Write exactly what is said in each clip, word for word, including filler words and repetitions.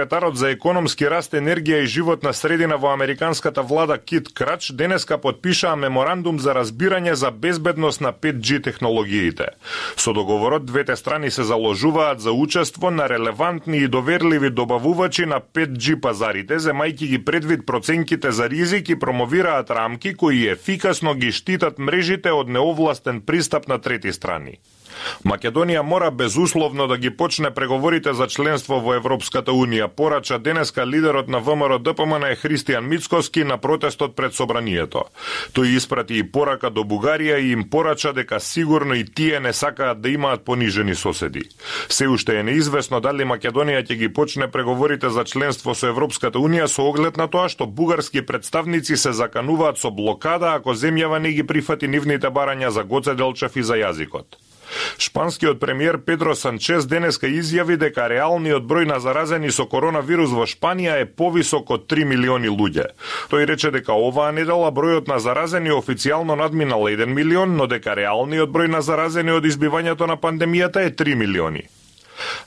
Секретарот за економски раст, енергија и животна средина во американската влада Кит Крач денеска подпишаа меморандум за разбирање за безбедност на пет џи технологиите. Со договорот двете страни се заложуваат за учество на релевантни и доверливи добавувачи на пет џи пазарите, земајќи ги предвид проценките за ризик и промовираат рамки кои ефикасно ги штитат мрежите од неовластен пристап на трети страни. Македонија мора безусловно да ги почне преговорите за членство во Европската Унија, порача денеска лидерот на ВМРО Д П М Н Христијан Мицкоски на протестот пред собранието. Тој испрати и порака до Бугарија и им порача дека сигурно и тие не сакаат да имаат понижени соседи. Се уште е неизвестно дали Македонија ќе ги почне преговорите за членство со Европската Унија со оглед на тоа што бугарски представници се закануваат со блокада ако земјава не ги прифати нивните барања за Гоце Делчев и за јазикот. Шпанскиот премиер Педро Санчес денеска изјави дека реалниот број на заразени со коронавирус во Шпанија е повисок од три милиони луѓе. Тој рече дека оваа недела бројот на заразени официјално надминал еден милион, но дека реалниот број на заразени од избивањето на пандемијата е три милиони.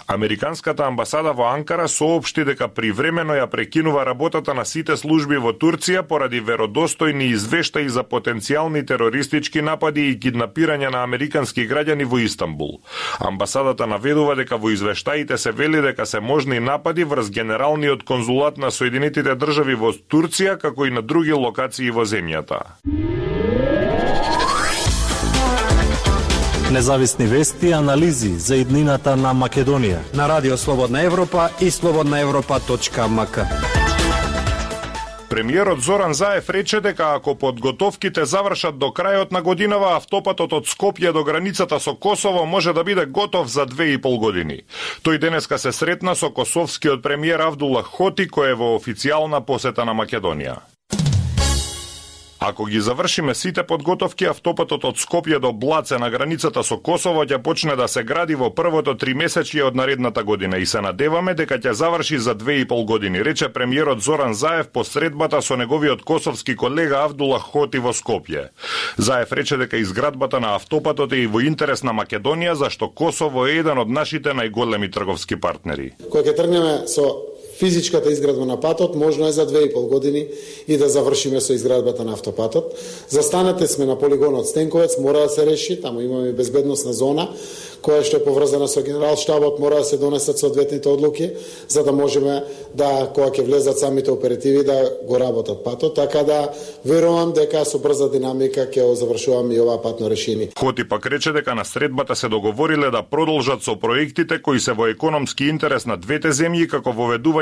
Американската амбасада во Анкара соопшти дека привремено ја прекинува работата на сите служби во Турција поради веродостојни извештаи за потенцијални терористички напади и киднапирање на американски граѓани во Истанбул. Амбасадата наведува дека во извештаите се вели дека се можни напади врз Генералниот конзулат на Соединетите држави во Турција, како и на други локации во земјата. Независни вести и анализи за иднината на Македонија на Радио Слободна Европа и слободна европа точка ем ка. Премиерот Зоран Заев рече дека ако подготовките завршат до крајот на годинава, автопатот од Скопје до границата со Косово може да биде готов за две и пол години. Тој денеска се сретна со косовскиот премиер Авдула Хоти, кој е во официјална посета на Македонија. Ако ги завршиме сите подготовки, автопатот од Скопје до Блаце на границата со Косово ќе почне да се гради во првото тримесечје од наредната година и се надеваме дека ќе заврши за две и пол години, рече премиерот Зоран Заев по средбата со неговиот косовски колега Авдула Хоти во Скопје. Заев рече дека изградбата на автопатот е и во интерес на Македонија, зашто Косово е еден од нашите најголеми трговски партнери. Кога ќе тргнеме со физичката изградба на патот, можно е за две и пол години и да завршиме со изградбата на автопатот. Застанете сме на полигонот Стенковец, мора да се реши, таму имаме безбедносна зона, која што е поврзана со генералштабот, мора да се донесат соодветните одлуки, за да можеме да, кога ќе влезат самите оперативи, да го работат патот, така да верувам дека со брза динамика ќе завршуваме и ова патно решение. Хоти пак рече дека на средбата се договориле да продолжат со проектите кои се во економски интерес на двете земји, како воведување